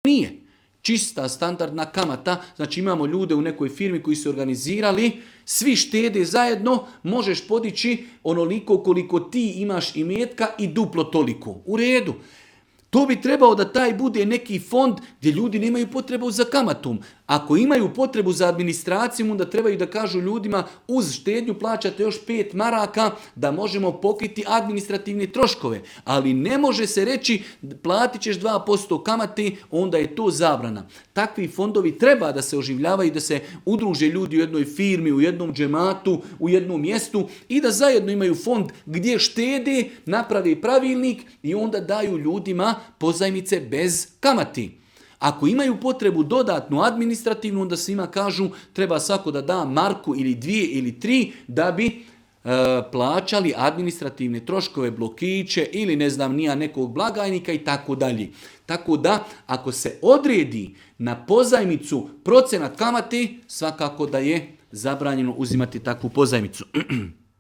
nije. Čista standardna kamata, znači imamo ljude u nekoj firmi koji su organizirali, svi štede zajedno, možeš podići onoliko koliko ti imaš imetka i duplo toliko. U redu. To bi trebao da taj bude neki fond gdje ljudi nemaju potrebu za kamatom. Ako imaju potrebu za administracijom, onda trebaju da kažu ljudima uz štednju plaćate još 5 maraka da možemo pokriti administrativne troškove. Ali ne može se reći platit ćeš 2% kamate, onda je to zabrana. Takvi fondovi treba da se oživljavaju, da se udruže ljudi u jednoj firmi, u jednom džematu, u jednom mjestu i da zajedno imaju fond gdje štede, naprave pravilnik i onda daju ljudima pozajmice bez kamati. Ako imaju potrebu dodatnu administrativnu, onda svima kažu treba svako da da marku ili 2 ili 3 da bi plaćali administrativne troškove, blokiće ili ne znam nija nekog blagajnika i tako dalje. Tako da ako se odredi na pozajmicu procenat kamate, svakako da je zabranjeno uzimati takvu pozajmicu.